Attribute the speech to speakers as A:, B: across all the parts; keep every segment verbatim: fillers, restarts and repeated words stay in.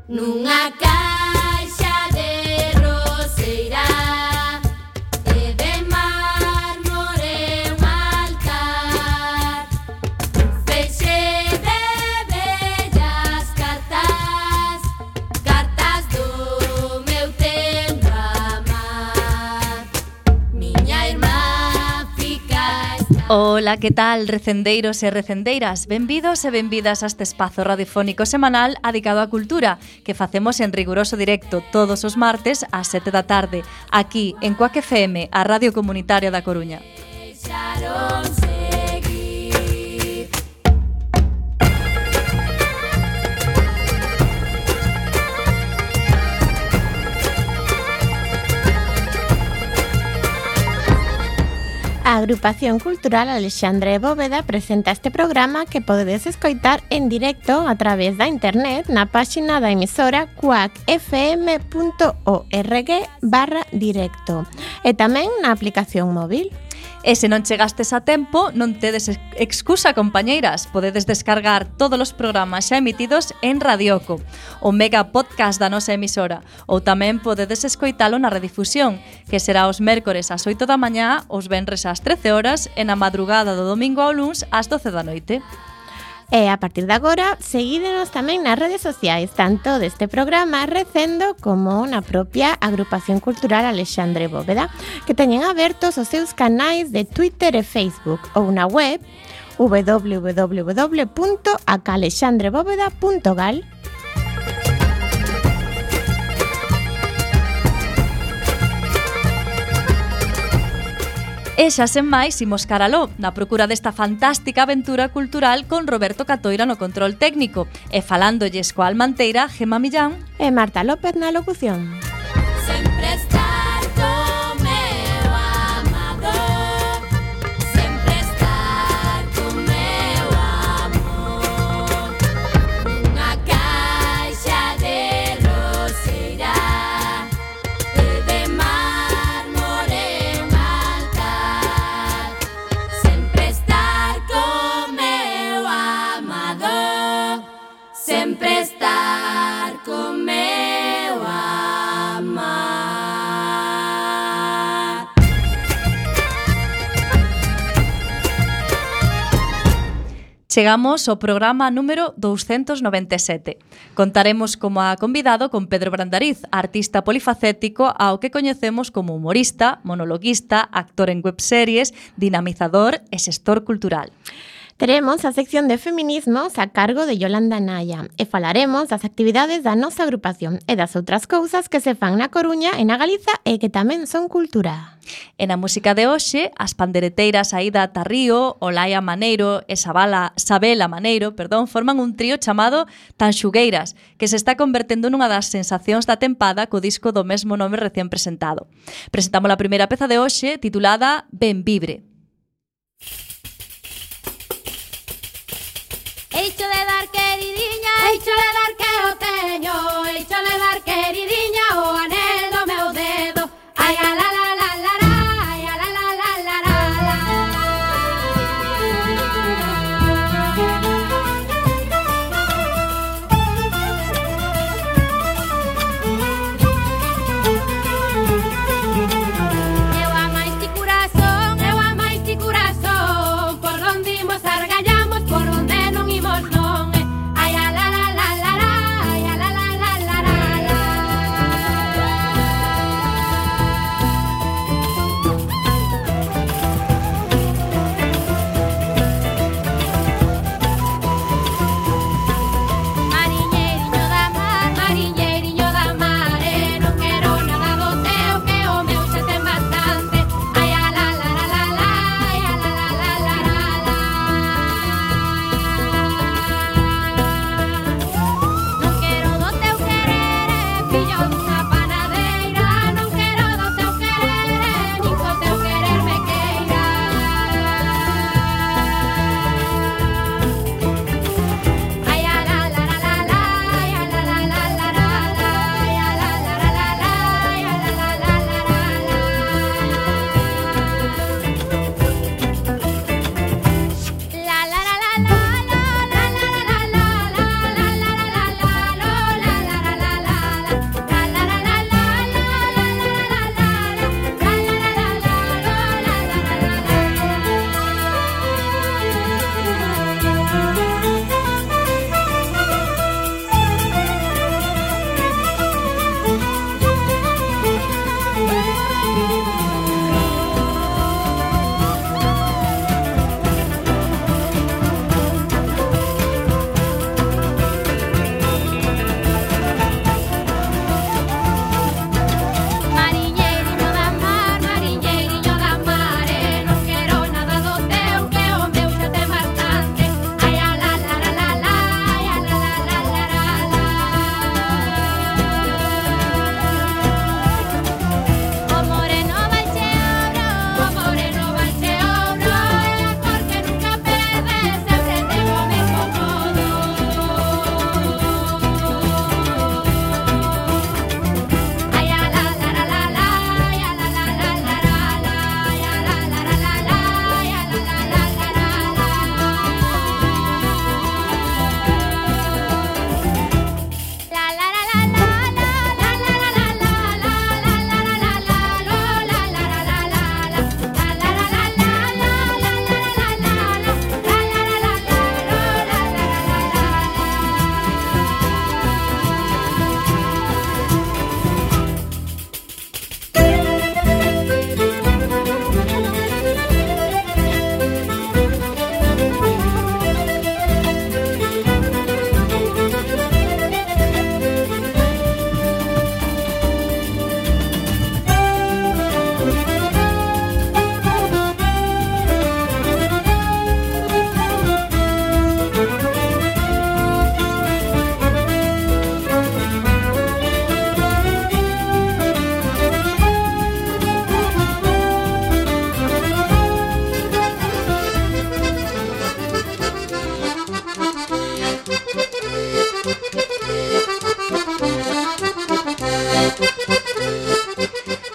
A: Nunha caixa de roseira e de mármore un altar, un feixe de bellas cartas, cartas do meu tempo amar. Miña irmá fica esta...
B: Ola, que tal, recendeiros e recendeiras? Benvidos e benvidas a este espazo radiofónico semanal dedicado á cultura que facemos en riguroso directo todos os martes ás sete da tarde, aquí en Cuac F M, a Radio Comunitaria da Coruña.
A: Deixaron seguir.
C: A Agrupación Cultural Alexandre Bóveda presenta este programa que podedes escoitar en directo a través da internet na páxina da emisora cuac f m punto org barra directo e tamén na aplicación móvil.
B: E se non chegastes a tempo, non tedes excusa, compañeiras. Podedes descargar todos os programas xa emitidos en Radioco, o mega podcast da nosa emisora, ou tamén podedes escoitalo na redifusión, que será os mércores ás oito da mañá, os venres ás trece horas e na madrugada do domingo ao luns ás doce da noite.
C: E a partir de agora, seguídenos tamén nas redes sociais, tanto deste programa Recendo como na propia Agrupación Cultural Alexandre Bóveda, que teñen abertos os seus canais de Twitter e Facebook ou na web w w w punto a c a alexandre bóveda punto gal.
B: E xa sen máis, imos caraló, na procura desta fantástica aventura cultural con Roberto Catoira no control técnico e falándolles coa almanteira Gemma Millán
C: e Marta López na locución.
A: Sempre estar co meu amado, sempre estar co meu amor. Nunha caixa de roseira e de mármore un altar, sempre estar co meu amado, sempre estar co meu amar.
B: Chegamos ao programa número douscentos noventa e sete. Contaremos como a convidado con Pedro Brandariz, artista polifacético ao que coñecemos como humorista, monologuista, actor en webseries, dinamizador e xestor cultural.
C: Teremos a sección de feminismos a cargo de Yolanda Naya e falaremos das actividades da nosa agrupación e das outras cousas que se fan na Coruña e na Galiza e que tamén son cultura.
B: E na música de hoxe, as pandereteiras Aida Tarrío, Olaia Maneiro e Sabala, Sabela Maneiro, perdón, forman un trío chamado Tanxugueiras, que se está convertendo nunha das sensacións da tempada co disco do mesmo nome recén presentado. Presentamos a primeira peza de hoxe titulada Ben Vibre.
A: Eicho de dar queridinha, eicho de dar que o teño, eicho de dar queridinha o anel do meu dedo. Ai a la la la la la, ai a la la la la la. Eu amais ti corazón, eu amais ti corazón, por donde imos argallamos, por donde non imos non.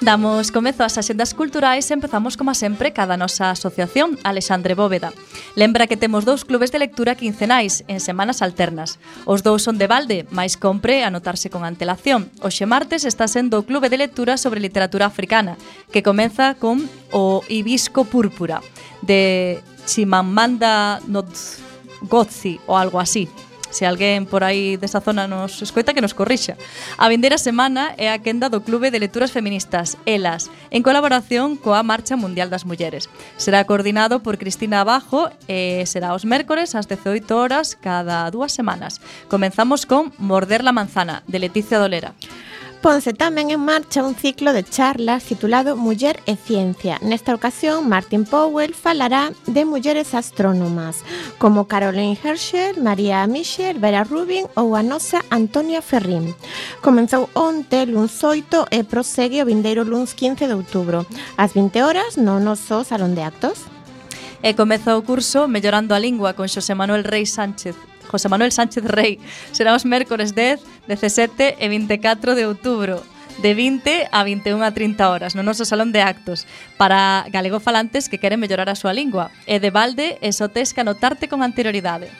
B: Damos comezo ás axendas culturais e empezamos, como sempre, cada nosa asociación, Alexandre Bóveda. Lembra que temos dous clubes de lectura quincenais, en semanas alternas. Os dous son de balde, mais compre anotarse con antelación. Hoxe martes está sendo o clube de lectura sobre literatura africana, que comeza con o Hibisco Púrpura, de Chimamanda Ngozi, ou algo así. Se alguén por aí desa zona nos escoita, que nos corrixa. A vindeira semana é a quenda do Clube de Lecturas Feministas, Elas, en colaboración coa Marcha Mundial das Mulleres. Será coordinado por Cristina Abajo e será os mércores ás dezoito horas cada dúas semanas. Comenzamos con Morder la manzana, de Leticia Dolera.
C: Ponse tamén en marcha un ciclo de charlas titulado Muller e Ciencia. Nesta ocasión, Martin Powell falará de mulleres astrónomas, como Caroline Herschel, María Michel, Vera Rubin ou a nosa Antonia Ferrín. Comenzou onte, luns oito, e prosegue o vindeiro luns quince de outubro, ás vinte horas, no noso Salón de Actos.
B: E comeza o curso Mellorando a Lingua con Xosé Manuel Rey Sánchez. José Manuel Sánchez Rey. Será os mércores dez, dezasete e vinte e catro de outubro, de vinte a vinte e unha a trinta horas, no noso Salón de Actos, para galegofalantes que queren mellorar a súa lingua. E de balde, e só tes que anotarte con anterioridade.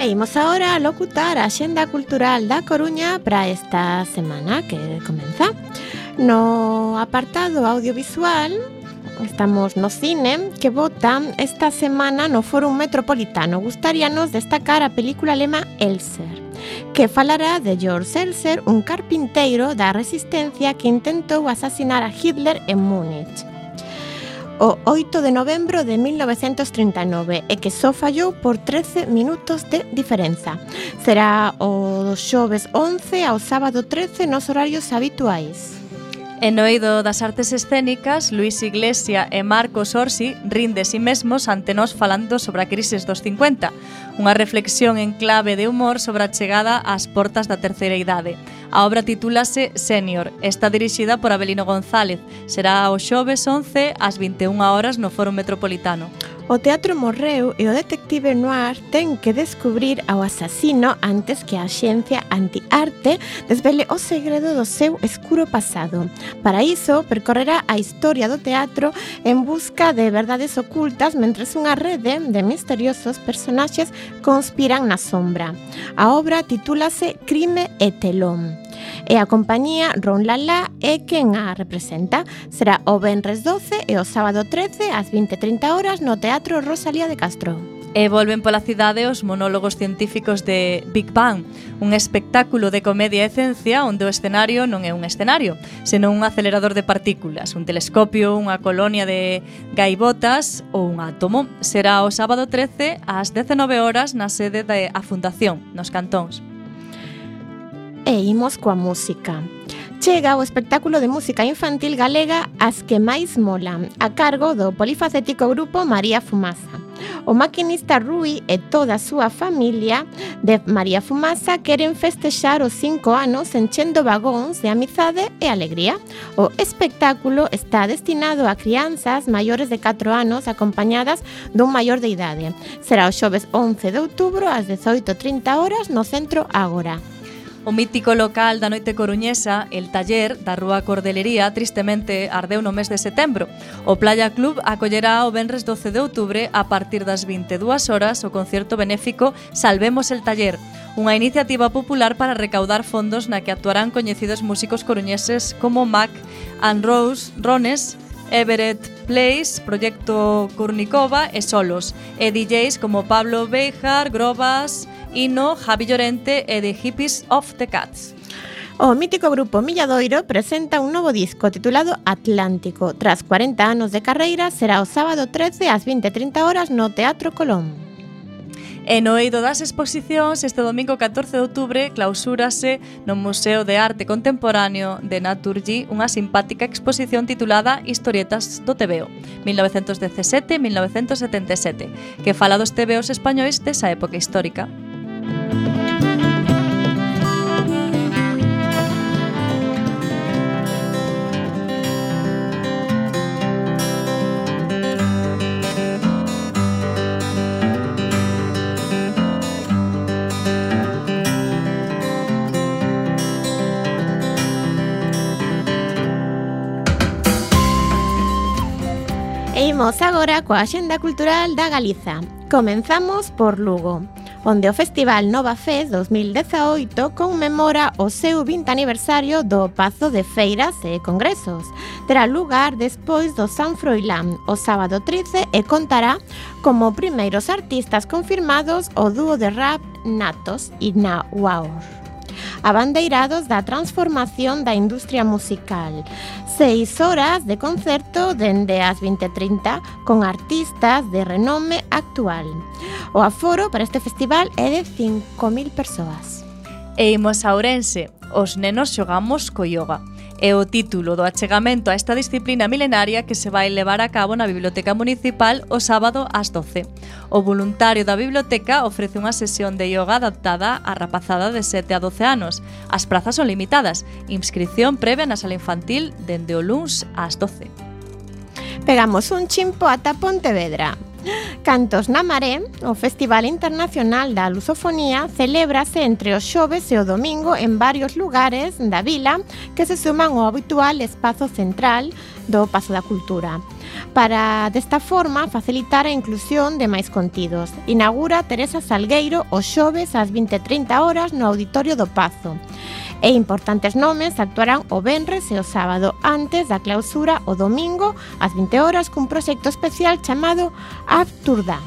C: Imos agora a locutar a Axenda Cultural da Coruña para esta semana que comeza. No apartado audiovisual estamos no cine, que vota esta semana no Fórum Metropolitano. Gustaríanos destacar a película alemá Elser, que falará de Georg Elser, un carpinteiro da resistencia que intentou asasinar a Hitler en Múnich o oito de novembro de mil novecentos trinta e nove e que só fallou por trece minutos de diferenza. Será o xoves once ao sábado trece nos horarios habituais.
B: En no eido das artes escénicas, Luis Iglesia e Marcos Orsi rin de si mesmos ante nós falando sobre a crisis dos cincuenta, unha reflexión en clave de humor sobre a chegada ás portas da terceira idade. A obra titúlase Senior, está dirixida por Abelino González. Será o xoves once ás vinte e unha horas no Fórum Metropolitano.
C: O teatro morreu e o detective noir ten que descubrir ao asasino antes que a axencia antiarte desvele o segredo do seu escuro pasado. Para iso, percorrerá a historia do teatro en busca de verdades ocultas mentres unha rede de misteriosos personaxes conspiran na sombra. A obra titúlase Crime e telón. E a compañía Ron Lala é quen a representa. Será o venres doce e o sábado trece ás vinte e trinta horas no Teatro Rosalía de Castro.
B: E volven pola cidade os monólogos científicos de Big Bang, un espectáculo de comedia e ciencia onde o escenario non é un escenario, senón un acelerador de partículas, un telescopio, unha colonia de gaivotas ou un átomo. Será o sábado trece ás dezenove horas na sede da Fundación, nos Cantóns.
C: E imos coa música. Chega o espectáculo de música infantil galega As que máis molan, a cargo do polifacético grupo María Fumaza. O maquinista Rui e toda a súa familia de María Fumaza queren festexar os cinco anos enchendo vagóns de amizade e alegría. O espectáculo está destinado a crianzas maiores de catro anos acompañadas dun maior de idade. Será o xoves once de outubro ás dezoito e trinta horas no Centro Ágora.
B: O mítico local da noite coruñesa, El Taller, da Rúa Cordelería, tristemente ardeu no mes de setembro. O Playa Club acollerá o venres doce de outubro a partir das vinte e dúas horas o concerto benéfico Salvemos el Taller, unha iniciativa popular para recaudar fondos na que actuarán coñecidos músicos coruñeses como Mac and Rose Rones, Everett Place, Proyecto Kurnikova e Solos, e D Js como Pablo Beijar, Grobas, Ino, Javi Llorente e The Hippies of the Cats.
C: O mítico grupo Milladoiro presenta un novo disco titulado Atlántico. Tras cuarenta anos de carreira, será o sábado trece ás vinte e trinta horas no Teatro Colón.
B: E no eido das exposicións, este domingo catorce de outubro clausúrase no Museo de Arte Contemporáneo de Naturgy unha simpática exposición titulada Historietas do Tebeo, mil novecentos dezasete a mil novecentos setenta e sete, que fala dos tebeos españois desa época histórica.
C: Imos agora coa Axenda Cultural da Galiza. Comenzamos por Lugo, onde o Festival Nova Fest dos mil dezaoito conmemora o seu vinte aniversario do Pazo de Feiras e Congresos. Terá lugar despois do San Froilán o sábado trece e contará como primeiros artistas confirmados o dúo de rap Natos e Na Waur, abandeirados da transformación da industria musical. Seis horas de concerto dende as vinte e trinta con artistas de renome actual. O aforo para este festival é de cinco mil persoas.
B: E imos a Ourense, os nenos xogamos co yoga. É o título do achegamento a esta disciplina milenaria que se vai levar a cabo na Biblioteca Municipal o sábado ás doce. O voluntario da biblioteca ofrece unha sesión de yoga adaptada á rapazada de sete a doce anos. As prazas son limitadas. Inscripción previa na sala infantil dende o luns ás doce.
C: Pegamos un chimpo ata Pontevedra. Cantos na Maré, o Festival Internacional da Lusofonía, celébrase entre os xoves e o domingo en varios lugares da vila que se suman ao habitual espazo central do Pazo da Cultura. Para, desta forma, facilitar a inclusión de máis contidos, inaugura Teresa Salgueiro os xoves ás vinte e trinta horas no Auditorio do Pazo. E importantes nomes actuarán o venres e o sábado antes da clausura o domingo ás vinte horas cun proxecto especial chamado Abturda.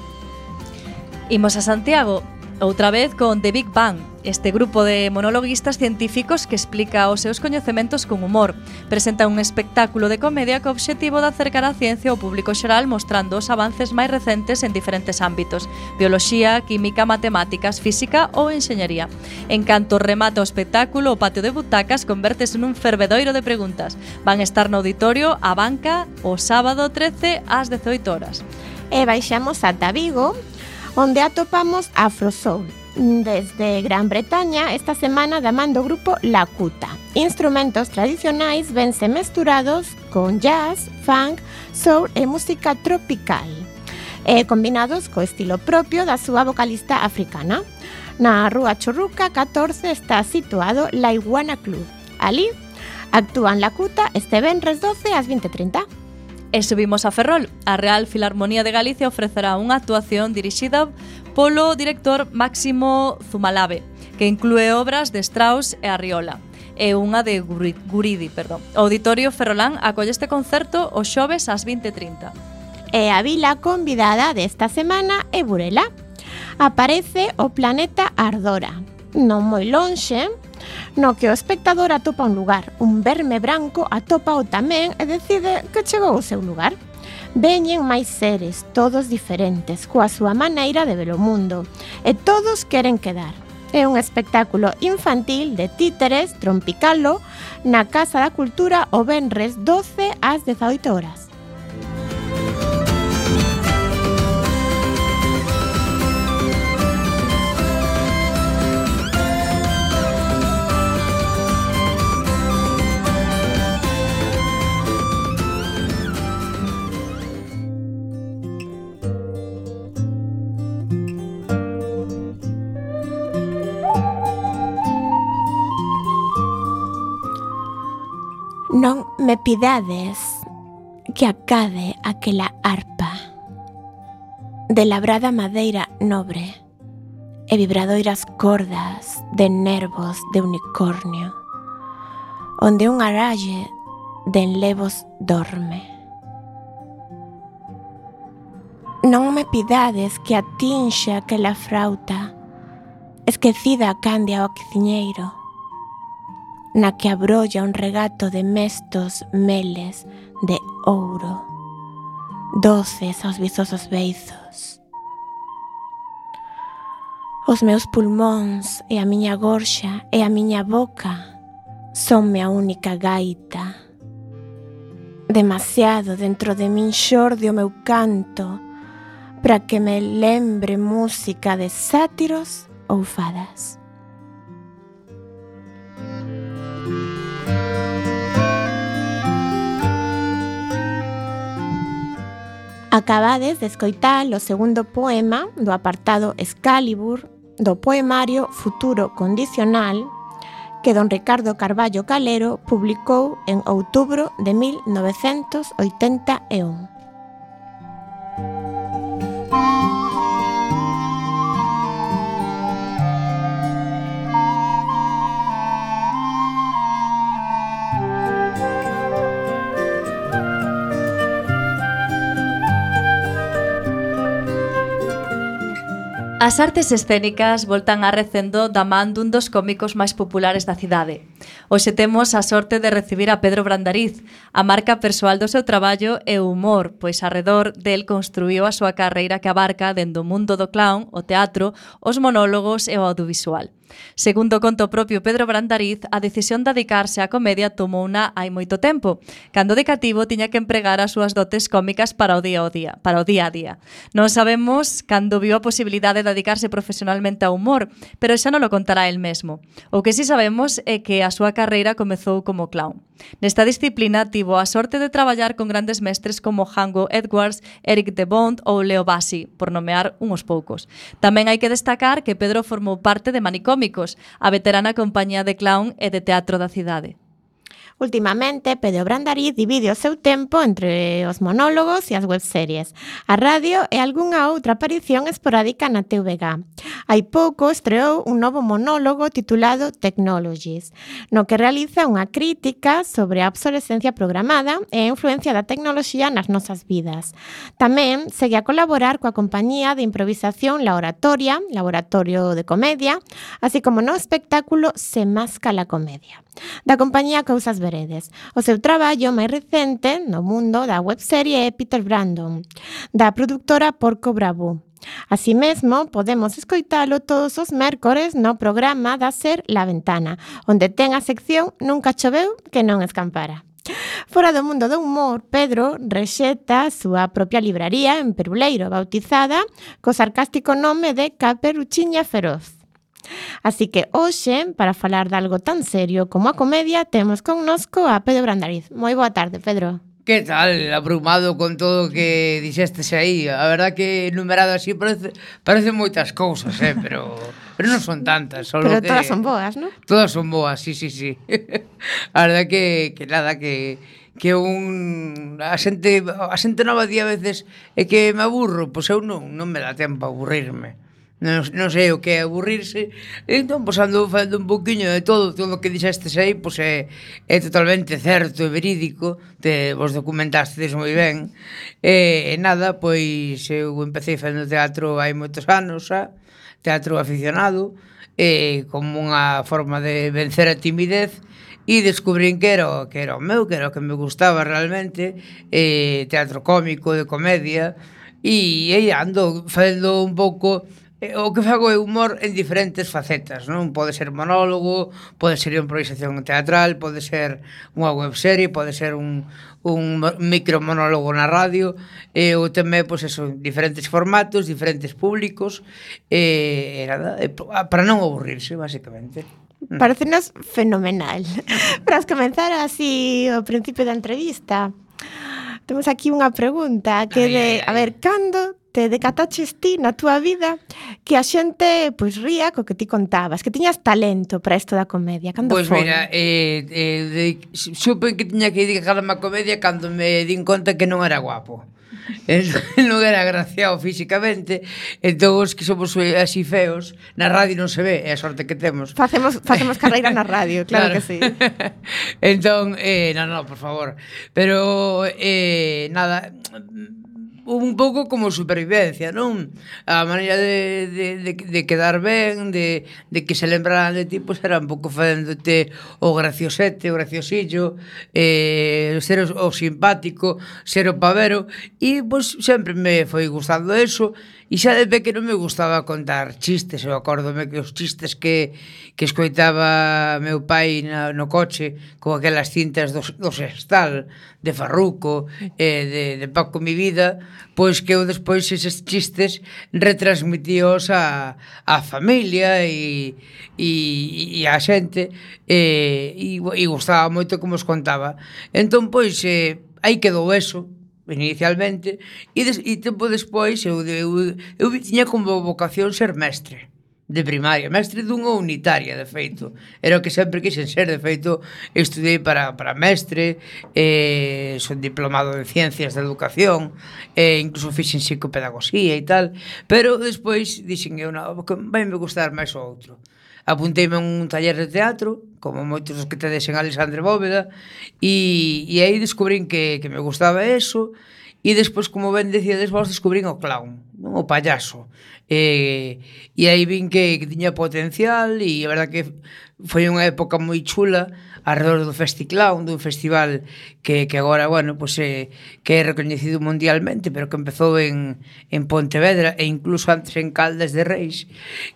B: Imos a Santiago, outra vez con The Big Bang, este grupo de monologuistas científicos que explica os seus coñecementos con humor. Presenta un espectáculo de comedia co obxectivo de acercar a ciencia ao público xeral mostrando os avances máis recentes en diferentes ámbitos: bioloxía, química, matemáticas, física ou enxeñería. En canto remata o espectáculo, o patio de butacas convértese nun fervedoiro de preguntas. Van estar no auditorio A Banca o sábado trece ás dezoito horas.
C: E baixamos ata Vigo, onde atopamos Afrosoul. Desde Gran Bretaña, esta semana da man do grupo Lakuta. Instrumentos tradicionais vense mesturados con jazz, funk, soul e música tropical, e combinados co estilo propio da súa vocalista africana. Na Rúa Churruca catorce está situado La Iguana Club. Ali actúan Lakuta este venres doce ás vinte e trinta.
B: E subimos a Ferrol. A Real Filarmonía de Galicia ofrecerá unha actuación dirixida polo director Máximo Zumalave, que inclúe obras de Strauss e Arriola, e unha de Guridi, perdón. O Auditorio Ferrolán acolle este concerto os xoves ás vinte e trinta.
C: E a vila convidada desta semana é Burela. Aparece o planeta Ardora, non moi lonxe, no que o espectador atopa un lugar. Un verme branco atopa o tamén e decide que chegou ao seu lugar. Veñen máis seres, todos diferentes, coa súa maneira de ver o mundo, e todos queren quedar. É un espectáculo infantil de títeres trompicalo na Casa da Cultura o venres doce ás dezaoito horas. Non me pidades que acade aquela arpa de labrada madeira nobre e vibradoiras cordas de nervos de unicornio, onde un aralle de enlevos dorme. Non me pidades que atinxe aquela frauta esquecida candia ao quiciñeiro, na que abrolla un regato de mestos meles de ouro, doces aos vizosos beizos. Os meus pulmóns e a miña gorxa e a miña boca sonme a única gaita. Demasiado dentro de min xorde o meu canto para que me lembre música de sátiros ou fadas. Acabades de escoitar o segundo poema do apartado Excalibur do poemario Futuro Condicional que don Ricardo Carballo Calero publicou en outubro de mil novecentos oitenta e un.
B: As artes escénicas voltan a recendo da man dun dos cómicos máis populares da cidade. Hoxe temos a sorte de recibir a Pedro Brandariz, a marca persoal do seu traballo e o humor, pois arredor del construíu a súa carreira que abarca dende o mundo do clown, o teatro, os monólogos e o audiovisual. Segundo conto propio Pedro Brandariz, a decisión de dedicarse á comedia tomouna hai moito tempo, cando de cativo tiña que empregar as súas dotes cómicas para o día a día, para o día a día. Non sabemos cando viu a posibilidade de dedicarse profesionalmente ao humor, pero xa non lo contará el mesmo. O que si sabemos é que a súa carreira comezou como clown. Nesta disciplina tivo a sorte de traballar con grandes mestres como Django Edwards, Eric de Bond ou Leo Bassi, por nomear uns poucos. Tamén hai que destacar que Pedro formou parte de Manicómicos, a veterana compañía de clown e de teatro da cidade.
C: Ultimamente, Pedro Brandariz divide o seu tempo entre os monólogos e as webseries, a radio e algunha outra aparición esporádica na T V G. Hai pouco estreou un novo monólogo titulado Technologies, no que realiza unha crítica sobre a obsolescencia programada e a influencia da tecnoloxía nas nosas vidas. Tamén segue a colaborar coa compañía de improvisación La Oratoria, laboratorio de comedia, así como no espectáculo Se Masca la Comedia, da compañía Cousas Veredes. O seu traballo máis recente no mundo da webserie é Peter Brandon, da produtora Porco Bravo. Así mesmo, podemos escoitalo todos os mércores no programa da Ser La Ventana, onde ten a sección Nunca choveu que non escampara. Fora do mundo do humor, Pedro rexeta a súa propia libraría en Peruleiro, bautizada co sarcástico nome de Caperuchiña Feroz. Así que hoxe, para falar de algo tan serio como a comedia, temos connosco a Pedro Brandariz. Moi boa tarde, Pedro.
D: Que tal? Abrumado con todo o que dixestes aí. A verdad que enumerado así parece, parece moitas cousas, eh? pero, pero non son tantas. Solo
C: pero
D: que...
C: todas son boas, non?
D: Todas son boas, sí, sí, sí. A verdad que, que nada, que... que un a xente a xente nova día a veces é que me aburro, pois eu non, non me dá tempo a aburrirme. Non, non sei o que é aburrirse. Entón, pois ando falando un poquinho de todo. Todo o que dixestes aí, pois é, é totalmente certo e verídico. Te, vos documentastes moi ben. E, e nada, pois eu empecé facendo teatro hai moitos anos xa, teatro aficionado, e como unha forma de vencer a timidez, e descubrín que era, que era o meu, que era o que me gustaba realmente, e, teatro cómico, de comedia, e aí ando facendo un pouco... O que fago é humor en diferentes facetas, non? Pode ser monólogo, pode ser improvisación teatral, pode ser unha webserie, pode ser un, un micro monólogo na radio, e ou tamén, pois, eso, diferentes formatos, diferentes públicos, e, e nada, e, para non aburrirse, basicamente.
C: Parecenos fenomenal. Para comenzar así o principio da entrevista, temos aquí unha pregunta que de, a ver, cando te decataches ti na túa vida que a xente pois ría co que ti contabas, que tiñas talento para isto da comedia? Cando
D: pois
C: foi?
D: Mira, eh, eh, de, supen que tiña que dedicarme a comedia cando me din conta que non era guapo. Non era agraciado físicamente. Entón os que somos así feos na radio non se ve, é a sorte que temos.
C: Facemos, facemos carreira na radio, claro, claro. Que sí.
D: Entón, eh, non, non, por favor. Pero, eh, nada, un pouco como supervivencia, non? A maneira de, de, de, de quedar ben, de, de que se lembraran de ti, pois era un pouco facéndote o graciosete, o graciosillo, eh, ser o, o simpático, ser o pavero, e pois sempre me foi gustando eso, e xa de pequeno me gustaba contar chistes. Eu acórdome que os chistes que, que escoitaba meu pai na, no coche con aquelas cintas do, do Sextal, de Farruco, eh, de, de Paco Mi Vida, pois que eu despois eses chistes retransmitíos a, a familia e, e, e a xente, e, e, e gustaba moito como os contaba. Entón, pois, eh, aí quedou eso inicialmente, e, des, e tempo despois eu, eu, eu tiña como vocación ser mestre de primaria, mestre dunha unitaria, de feito. Era o que sempre quixen ser, de feito, estudei para, para mestre, eh, son diplomado en Ciencias da Educación, eh, incluso fixen psicopedagogía e tal, pero despois dixen eu, non, vai me gustar máis o outro. Apunteime a un taller de teatro, como moitos os que tedes en Alexandre Bóveda, e, e aí descubrín que, que me gustaba eso, e despois, como ben decíades vos, descubrín o clown, non? O payaso. E, e aí vin que, que tiña potencial, e a verdad que foi unha época moi chula alrededor do Festiclown, dun festival que, que agora, bueno, pues, eh, que é recoñecido mundialmente, pero que empezou en, en Pontevedra e incluso antes en Caldas de Reis,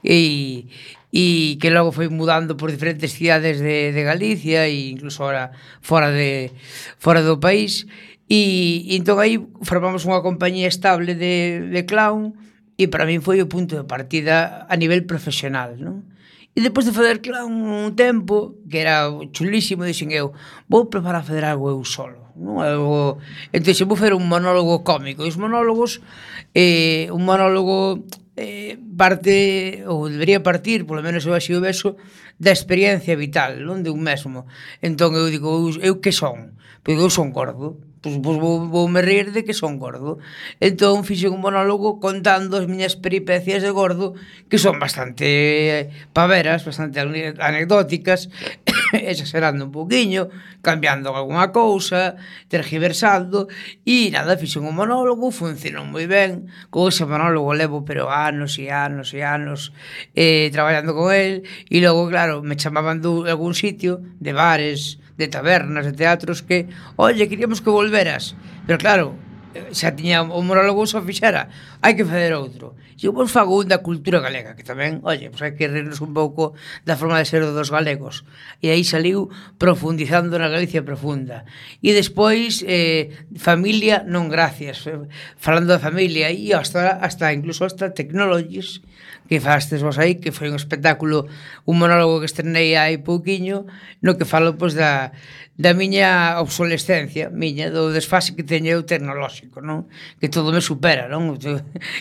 D: e, e que logo foi mudando por diferentes cidades de, de Galicia e incluso ahora fora, de, fora do país. E, e entón aí formamos unha compañía estable de, de clown, e para min foi o punto de partida a nivel profesional, non? E depois de fazer clown un tempo, que era chulísimo, dixen eu, vou preparar a fazer algo eu solo, non? Algo... Entón, se vou fazer un monólogo cómico, e os monólogos, eh, un monólogo eh, parte, ou debería partir, polo menos eu así o vexo, da experiencia vital, non? De un mesmo. Entón eu digo, eu, eu que son? Porque eu son gordo, pois, pois vou, vou me rir de que son gordo. Entón fixen un monólogo contando as miñas peripecias de gordo, que son bastante paveras, bastante anecdóticas, exagerando un poquinho, cambiando alguna cousa, tergiversando, e nada, fixen un monólogo, funcionou moi ben. Con ese monólogo levo pero anos e anos e anos eh, traballando con el, e logo, claro, me chamaban de algún sitio, de bares, de tabernas, de teatros, que, oye, queríamos que volveras, pero claro, xa tiña o monólogo, só fixera, hai que fazer outro. E eu vos fago un da cultura galega, que tamén, oye, pues hai que rirnos un pouco da forma de ser dos galegos. E aí saliu profundizando na Galicia profunda. E despois, eh, familia non gracias, falando da familia, e hasta, hasta incluso hasta Technologies, que fastes vos aí, que foi un espectáculo, un monólogo que estrenei hai pouquiño, no que falo, pois, da, da miña obsolescencia, miña, do desfase que teño eu tecnolóxico, non? Que todo me supera, non?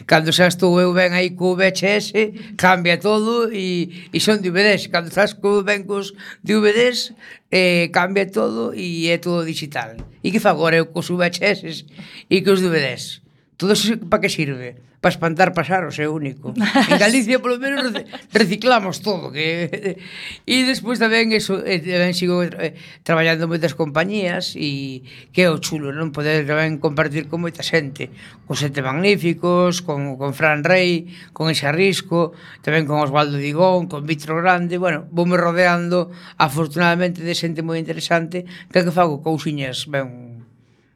D: Cando xa estou eu ben aí co V H S, cambia todo e, e son D V Ds. Cando estás co ben cos D V Ds, eh, cambia todo e é todo digital. E que fago agora eu cos V H S e cos D V Ds? Todo eso para que sirve? Para espantar pasaros, é único. En Galicia, polo menos, reciclamos todo. Que... E despois tamén, eso, eh, tamén sigo eh, traballando moitas compañías, e que é o chulo, non? Poder tamén compartir con moita xente, con Sete Magníficos, con, con Fran Rey, con Ese Arrisco, tamén con Osvaldo Digón, con Vitro Grande. Bueno, voume rodeando, afortunadamente, de xente moi interesante, que que fago cousiñas ben,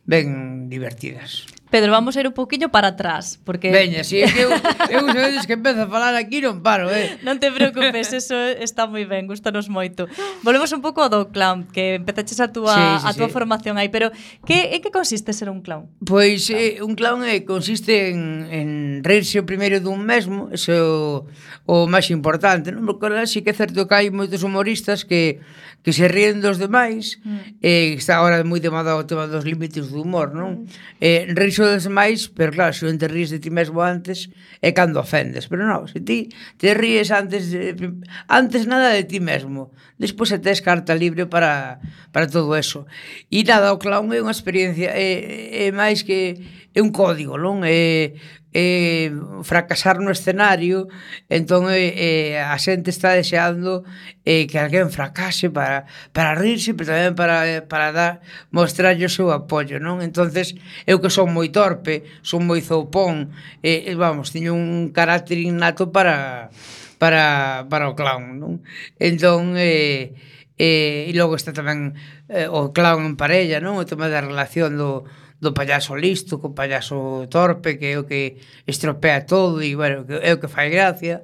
D: ben divertidas.
B: Pedro, vamos a ir un poquinho para atrás, porque...
D: Veña, si, é que eu, eu sabedes que empezo a falar aquí non paro, eh?
B: Non te preocupes, eso está moi ben, gustanos moito. Volvemos un pouco ao do clown, que empezaches a túa, sí, sí, a túa sí. formación aí, pero que, en que consiste ser un clown?
D: Pois eh, un clown eh, consiste en, en reírse o primeiro dun mesmo, eso é o, o máis importante, non? Porque ahora sí que é certo que hai moitos humoristas que, que se ríen dos demais, mm. eh, está agora moi de moda o tema dos límites do humor, non? Mm. Eh, reírse dos demais, pero claro, se non te ríes de ti mesmo antes, é cando ofendes. Pero non, se ti te ríes antes de, antes nada de ti mesmo, despois se tes carta libre para, para todo eso. E nada, o clown é unha experiencia, é, é máis que é é un código, non? É, é fracasar no escenario, entón é, é, a xente está deseando é, que alguén fracase para, para rirse, pero tamén para, para dar, mostrarlle o seu apoio, non? Entonces, eu que son moi torpe, son moi zoupón, e, vamos, teño un carácter innato para para, para o clown, non? Entón, eh, eh, e logo está tamén eh, o clown en parella, non? O tema da relación do, do payaso listo co payaso torpe, que é o que estropea todo e, bueno, que é o que fai gracia.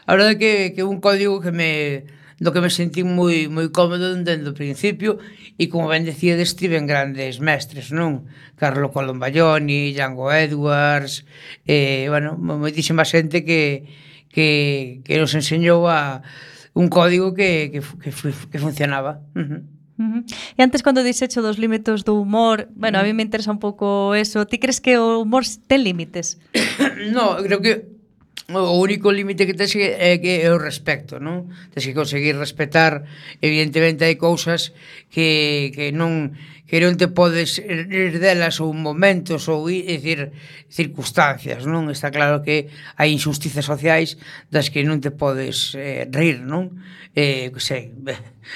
D: A verdade é que, que un código que me do que me sentí moi moi cómodo dende o principio, e como ben decía, estiven grandes mestres, non? Carlo Colombaioni, Django Edwards, eh, bueno, moitísima xente que, que, que nos enseñou a un código que, que, que, que funcionaba. Uh-huh.
B: Uh-huh. E antes, cando dixecho dos límites do humor, bueno, a mí me interesa un pouco eso. Ti crees que o humor ten límites?
D: No, creo que o único límite que tens é que é o respecto, non? Tens que conseguir respetar. Evidentemente hai cousas que, que non que non te podes rir delas ou momentos ou, é dicir, circunstancias, non? Está claro que hai injusticias sociais das que non te podes eh, rir, non? Eh, que sei,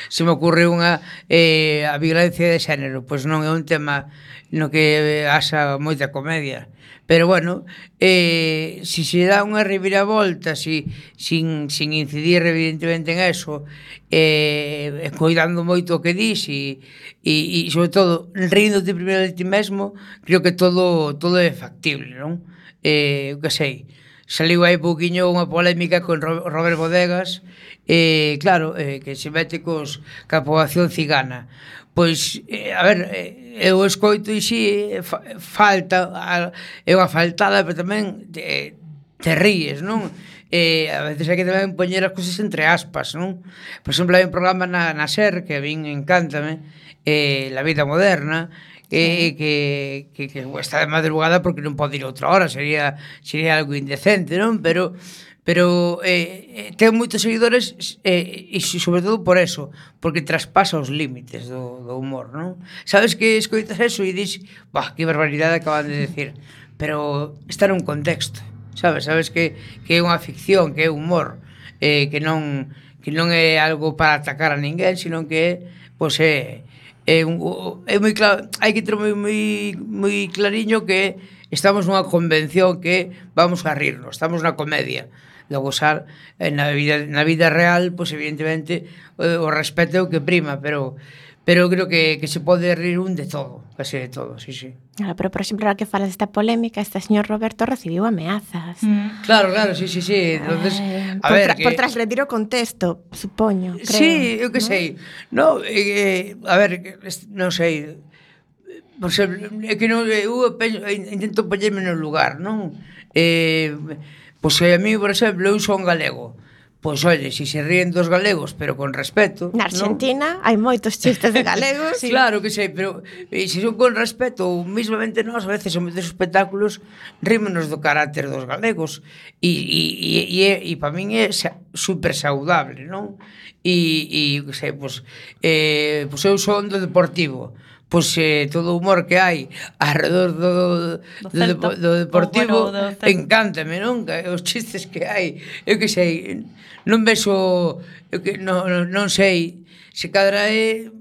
D: se me ocurre unha eh, a violencia de xénero, pois non é un tema no que haxa moita comedia. Pero, bueno, eh, si se dá unha reviravolta, si, sin, sin incidir evidentemente en eso, eh, cuidando moito o que dis e, e, e sobre todo, ríndote primeiro de ti mesmo, creo que todo, todo é factible, non? Eh, que sei, saliu aí pouquiño unha polémica con Robert Bodegas, eh, claro, eh, que se mete cos, ca poboación cigana. Pois, eh, a ver, eh, eu escoito e si fa, falta, a, é unha faltada, pero tamén te, te ríes, non? Eh, a veces hai que tamén poñer as cousas entre aspas, non? Por exemplo, hai un programa na, na SER que a min encántame, eh, La Vida Moderna, que, sí. que, que, que está de madrugada porque non pode ir outra hora, sería, sería algo indecente, non? Pero... pero eh, ten moitos seguidores eh, e sobre todo por eso, porque traspasa os límites do, do humor, non? Sabes que escoitas eso e dis, bah, que barbaridade acaban de decir, pero está nun contexto, sabes? Sabes que, que é unha ficción, que é humor, eh, que non que non é algo para atacar a ninguén, sino que é, pois é, é, un, é moi claro, hai que ter moi, moi, moi clariño que estamos nunha convención que vamos a rirnos, estamos na comedia. Logo xa, na vida, na vida real, pois evidentemente o respeto é o que prima, pero pero creo que, que se pode rir un de todo, casi de todo, sí, sí.
C: Claro, pero por exemplo, ahora que falas desta polémica, este señor Roberto recibiu ameazas.
D: Mm. Claro, claro, sí, sí, sí. Entonces,
C: eh,
D: a
C: por,
D: ver,
C: tra
D: que...
C: por transgredir o contexto, supoño, creo.
D: Sí, eu que
C: ¿no?
D: sei. No, eh, a ver, non sei. Por exemplo, é que non, eu penso, intento poñerme no lugar, non? Eh... Pois se a mí, por exemplo, eu son galego, pois, oye, se se ríen dos galegos, pero con respeto...
C: Na Argentina, ¿no? Hai moitos chistes de galegos.
D: Sí. Claro que sei, pero e, se son con respeto, ou mismamente nós, a veces, en moitos espectáculos, rímonos do carácter dos galegos, e, e, e, e, e para min é super saudable, non? E, e que sei, pois, eh, pois eu son do Deportivo, pois eh, todo o humor que hai alrededor do, do, do, do, do Deportivo, bueno, do encántame, non? Os chistes que hai, eu que sei, non vexo, eu que non, non sei, se cadra é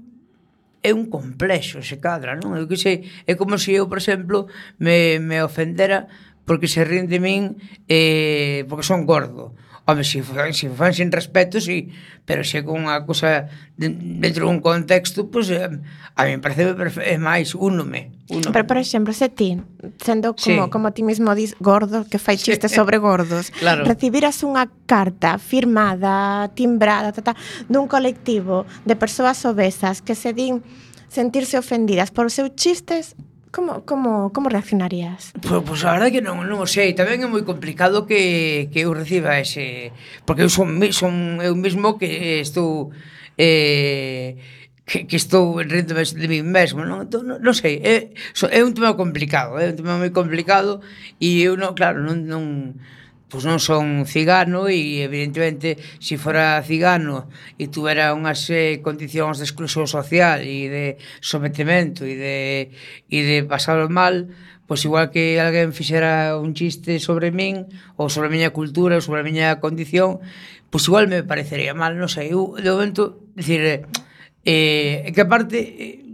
D: é un complexo, se cadra, non? Eu que sei, é como se eu, por exemplo, me, me ofendera porque se ríen de min eh, porque son gordo. Home, se fan, se fan sin respeto, sí, pero se con unha cosa de, dentro dun contexto, pois, pues, a mí me parece é máis únome, únome.
C: Pero, por exemplo, se ti, sendo como, sí. como ti mismo dis, gordo, que fai chistes sí. sobre gordos, claro. Recibiras unha carta firmada, timbrada, ta, ta, dun colectivo de persoas obesas que se din sentirse ofendidas por os seus chistes, Como, como, como reaccionarías?
D: Pois, pues, a verdade que non, non o sei. Tamén é moi complicado que, que eu reciba ese... Porque eu son, son eu mismo que estou... Eh, que, que estou rindo de mí mesmo, non? Entón, non, non sei, é, é un tema complicado, é un tema moi complicado e eu non, claro, non... non pois non son cigano e evidentemente se fora cigano e tuvera unhas eh, condicións de exclusión social e de sometemento e de, e de pasalo mal, pois igual que alguén fixera un chiste sobre min, ou sobre a miña cultura, ou sobre a miña condición, pois igual me parecería mal, non sei, eu, de momento, dicir, eh, que aparte, eh,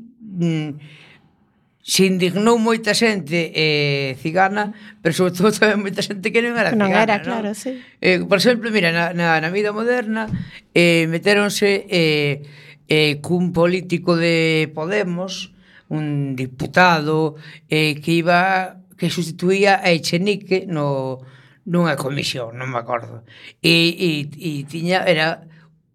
D: se indignou moita xente eh, cigana, pero sobre todo tamén moita xente que non era
C: non
D: cigana,
C: era,
D: non?
C: claro, sí.
D: Eh, por exemplo, mira, na, na, na vida moderna eh, metéronse eh, eh, cun político de Podemos, un diputado eh, que iba que sustituía a Echenique no nunha comisión, non me acordo. E, e, e tiña era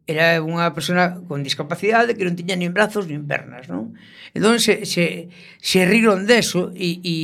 D: era unha persona con discapacidade que non tiña nin brazos nin pernas, non? Entón se, se, se riron deso e, e,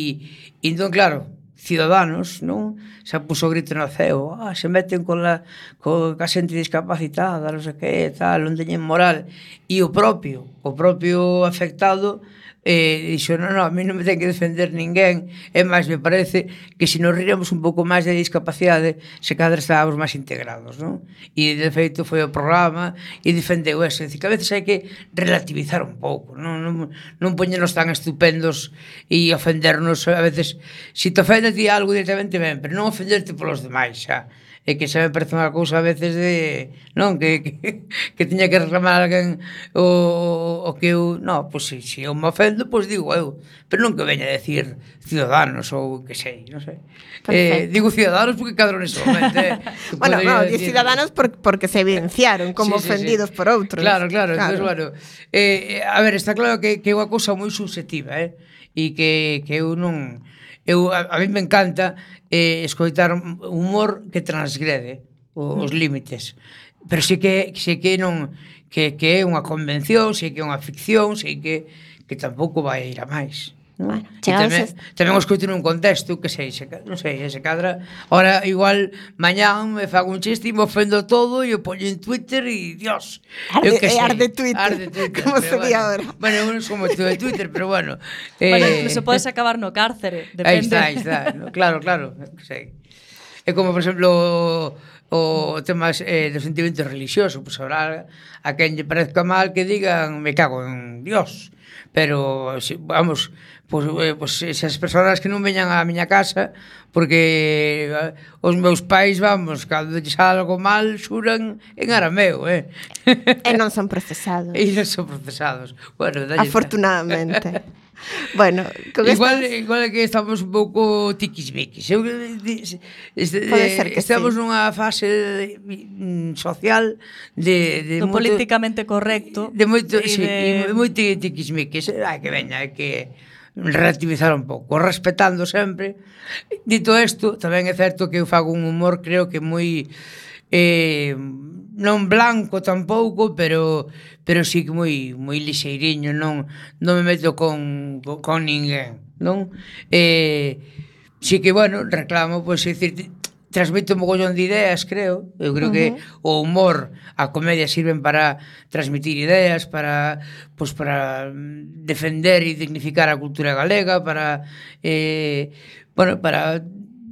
D: e entón, claro, Ciudadanos, non? Se puso o grito no ceo, ah, se meten con la, con a xente discapacitada, non sei que, tal, non teñen moral. E o propio, o propio afectado eh, dixo, non, non, a mí non me ten que defender ninguén, e máis me parece que se nos riramos un pouco máis de discapacidade, se cadra estábamos máis integrados, non? E de feito foi o programa e defendeu eso, dicir, que a veces hai que relativizar un pouco, non, non, non poñernos tan estupendos e ofendernos, a veces, se te ofende a ti algo directamente ben, pero non ofenderte polos demais, xa. E que xa me parece unha cousa a veces de, non, que, que, que tiña que reclamar alguén o, o que eu, non, pois si, si eu me ofendo, pois digo eu, pero non que veña a decir Ciudadanos ou que sei, non sei. Eh, digo Ciudadanos porque cadro nese momento, eh.
C: Bueno, no, decir... Ciudadanos por, porque se evidenciaron como sí, sí, ofendidos sí. por outros.
D: Claro, claro, claro. Entonces, bueno, eh, a ver, está claro que, que é unha cousa moi subjetiva, eh, e que, que eu non... Eu, a, a mí me encanta eh, escoitar humor que transgrede os, os límites, pero sí que, sí que non que, que é unha convención, sí que é unha ficción, sí que, que tampouco vai ir a máis.
C: Bueno,
D: tamén, tamén o escoito nun contexto que sei, se, non sei, se cadra ora igual mañán me fago un chiste e me ofendo todo e o poño en Twitter e Dios,
C: arde,
D: eu que sei,
C: arde Twitter,
D: arde Twitter
C: como se di
D: bueno,
C: ahora.
D: Bueno, eu non sou moito de Twitter, pero bueno eh,
B: bueno, incluso podes acabar no cárcere, depende.
D: Aí está, aí está, no, claro, claro, sei. É como, por exemplo, o, o tema eh, do sentimento religioso, pois pues, habrá a quen lle parezca mal que digan me cago en Dios, pero si, vamos, pois, eh, pois esas persoas que non veñan á miña casa porque eh, os meus pais, vamos, cando lles algo mal xuran en arameo, eh?
C: E non son procesados.
D: E non son procesados. Bueno, dalle,
C: afortunadamente. Bueno, con
D: igual,
C: estas...
D: igual é que estamos un pouco tiquismiquis. Eu, este,
C: Pode ser que
D: estamos
C: sí.
D: nunha fase de, mm, social de, de
B: do
D: moito,
B: políticamente correcto
D: de moito,
B: e
D: sí,
B: de...
D: e moito tiquismiquis. Hai que veña, hai que relativizar un pouco, respetando sempre. Dito isto, tamén é certo que eu fago un humor, creo que moi eh, non blanco tampouco, pero pero sí que moi moi lixeiriño, non non me meto con con, con ninguén, non? Eh, sí que bueno, reclamo, pois pues, dicir, transmite un mogollón de ideas, creo. Eu creo uh-huh. que o humor, a comedia sirven para transmitir ideas, para pois pues, para defender e dignificar a cultura galega, para eh, bueno, para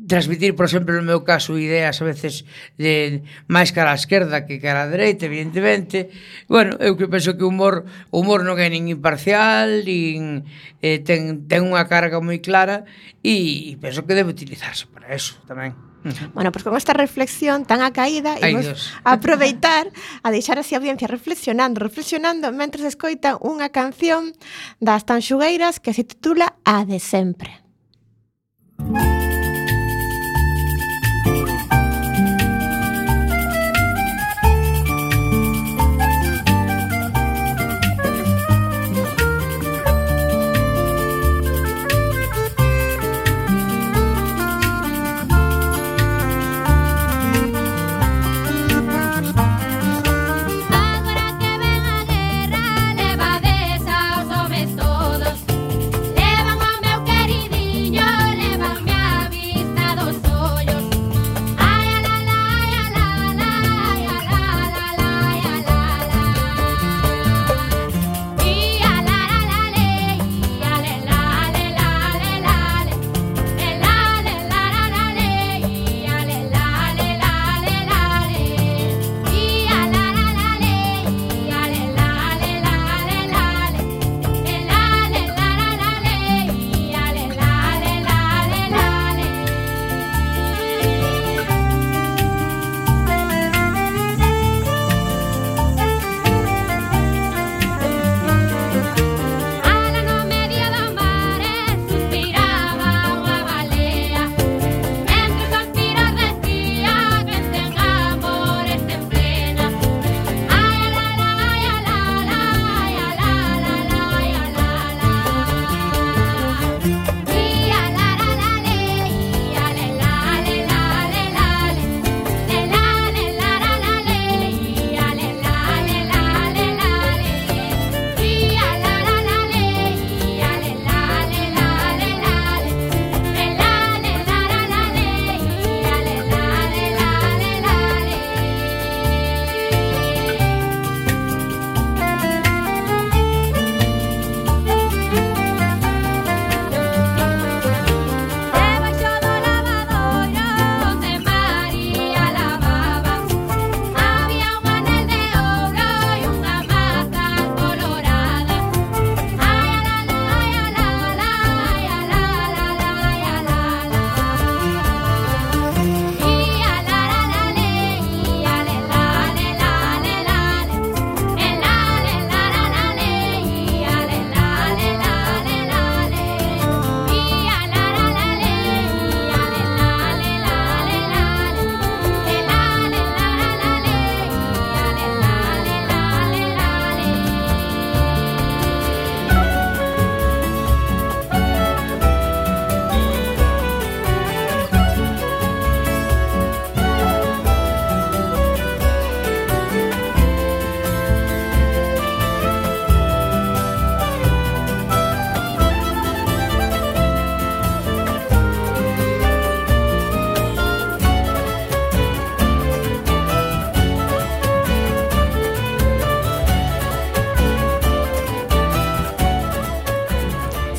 D: transmitir, por exemplo, no meu caso, ideas a veces de máis cara á esquerda que cara á dereita, evidentemente. Bueno, eu que penso que o humor, o humor non é nin imparcial, nin eh, ten, ten unha carga moi clara e, e penso que debe utilizarse para eso tamén.
C: Bueno, pois pues con esta reflexión tan acaída imos aproveitar a deixar así a audiencia reflexionando, reflexionando mentres escoitan unha canción das Tanxugueiras que se titula A de sempre.
A: Levamos ao meu querido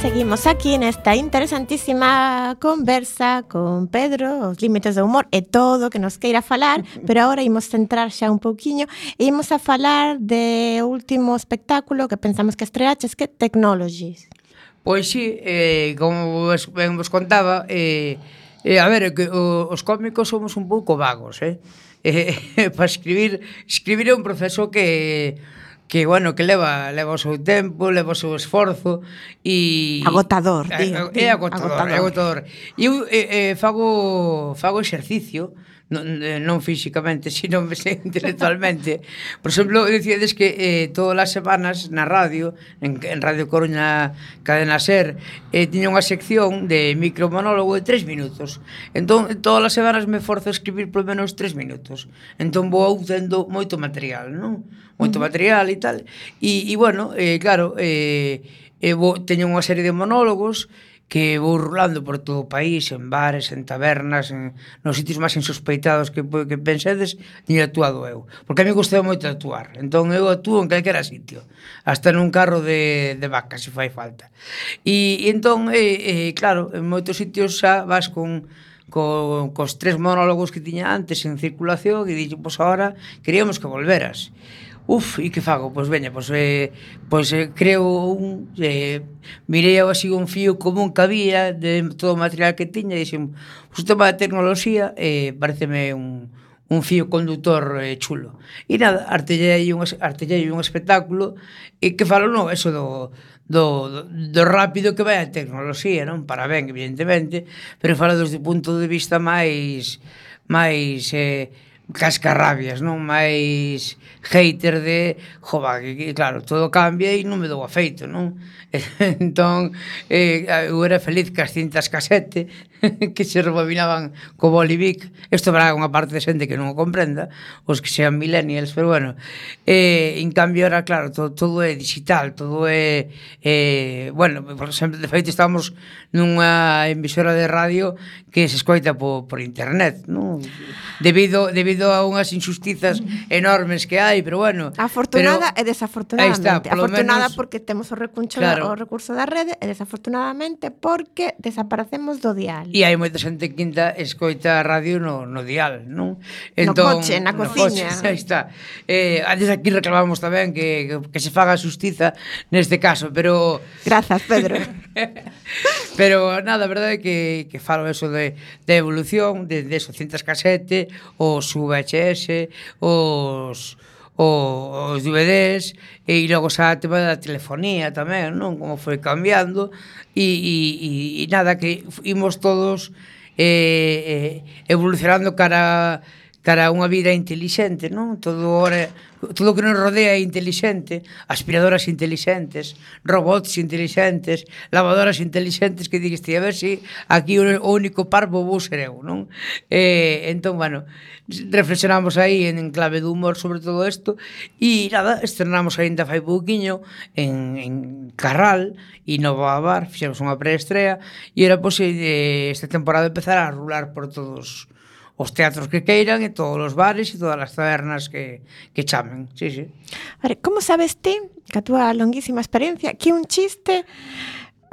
C: seguimos aquí nesta interesantísima conversa con Pedro, os límites do humor e todo o que nos queira falar, pero agora imos centrar xa un pouquiño e imos a falar de último espectáculo que pensamos que estreaches, que Technologies.
D: Pois sí, eh, como vos, ben vos contaba, eh, eh, a ver, que o, os cómicos somos un pouco vagos, eh? eh para escribir, escribir é un proceso que que bueno, que leva leva o seu tempo, leva o seu esforzo e
C: agotador,
D: é,
C: digo,
D: é agotador, agotador. É agotador. E eu eh, eh, fago fago exercicio, non, non físicamente, sino intelectualmente. Por exemplo, dicides que eh, todas as semanas na radio, en, en Radio Coruña Cadena Ser, eh, tiña unha sección de micromonólogo de tres minutos. Entón, todas as semanas me forzo a escribir por menos tres minutos. Entón vou tendo moito material, non? Moito uh-huh. material e tal. E, e bueno, eh, claro, eh, eh, vou, teño unha serie de monólogos que vou rulando por todo o país, en bares, en tabernas, en, nos sitios máis insospeitados que, que pensedes, ni actuado eu. Porque a mí gustei moito de actuar. Entón eu actúo en calquera sitio, hasta nun carro de, de vaca, se fai falta. E, e entón, eh, eh, claro, en moitos sitios xa vas con... Co, cos tres monólogos que tiña antes en circulación e dixo, pois agora queríamos que volveras. Uf, e que fago? Pois veña, pois, eh, pois eh, creo un... Eh, mirei así un fío común que había de todo o material que tiña e dixen, pois o tema de tecnoloxía eh, pareceme un, un fío conductor eh, chulo. E nada, artellei un, artellei un espectáculo e que falo, non, eso do... Do, do, do rápido que vai a tecnoloxía, non? Para ben, evidentemente, pero falo desde o punto de vista máis máis eh, cascarrabias, non? Máis hater de, jova, que claro, todo cambia e non me dou afeito, non? Entón, eh, eu era feliz que as cintas casete que se rebobinaban co Bolivic. Isto habrá unha parte de xente que non o comprenda, os que sean millennials, pero bueno, eh, en cambio era, claro, todo, todo é digital, todo é, eh, bueno, por exemplo, de feito estamos nunha emisora de radio que se escoita por, por internet, non? Debido, debido a unhas injustizas enormes que hai, pero bueno.
C: Afortunada
D: pero,
C: e desafortunadamente.
D: Está,
C: afortunada
D: menos,
C: porque temos o recuncho,
D: claro,
C: o recurso da rede, e desafortunadamente porque desaparecemos do dial.
D: E hai moita xente que quinta escoita a radio no, no dial, non?
C: Entón, no coche, na cociña.
D: Coche, aí está. Eh, antes aquí reclamamos tamén que, que, que se faga xustiza neste caso, pero...
C: Grazas, Pedro.
D: Pero nada, a verdade é que, que falo eso de, de evolución, de, de esos cintas casete, os V H S, os... os D V Ds e logo xa tema da telefonía tamén, non? Como foi cambiando e, e, e nada, que imos todos eh, eh, evolucionando cara cara a unha vida intelixente, non? Todo ora, todo o que nos rodea é intelixente, aspiradoras intelixentes, robots intelixentes, lavadoras intelixentes, que digues ti, a ver se si aquí o único parvo vou ser eu, non? Eh, entón, bueno, reflexionamos aí en clave de humor sobre todo isto e nada, estrenamos ainda fai pouquiño en, en Carral e Nova Bar, fixemos unha preestrea e era posible esta temporada empezar a rular por todos os teatros que queiran e todos os bares e todas as tabernas que, que chamen, sí, sí.
C: Vale, como sabes ti, que a túa longuísima experiencia, que un chiste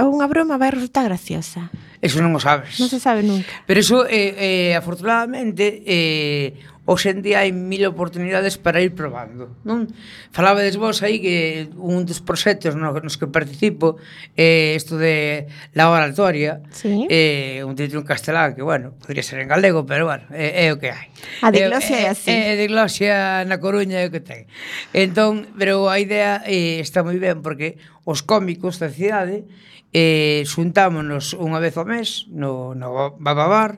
C: ou unha broma vai resultar graciosa?
D: Eso non o sabes.
C: Non se sabe nunca.
D: Pero eso, eh, eh, afortunadamente, eh, hoxe en día hai mil oportunidades para ir probando, non? Falabades vos aí que un dos proxectos nos que participo é eh, isto de la oratoria,
C: sí.
D: eh, un título en castelán que, bueno, podría ser en galego, pero, bueno, é, é o que hai.
C: A diglosia é así.
D: É, é diglosia na Coruña é o que ten. Entón, pero a idea eh, está moi ben porque os cómicos da cidade eh, xuntámonos unha vez ao mes no, no Bababar,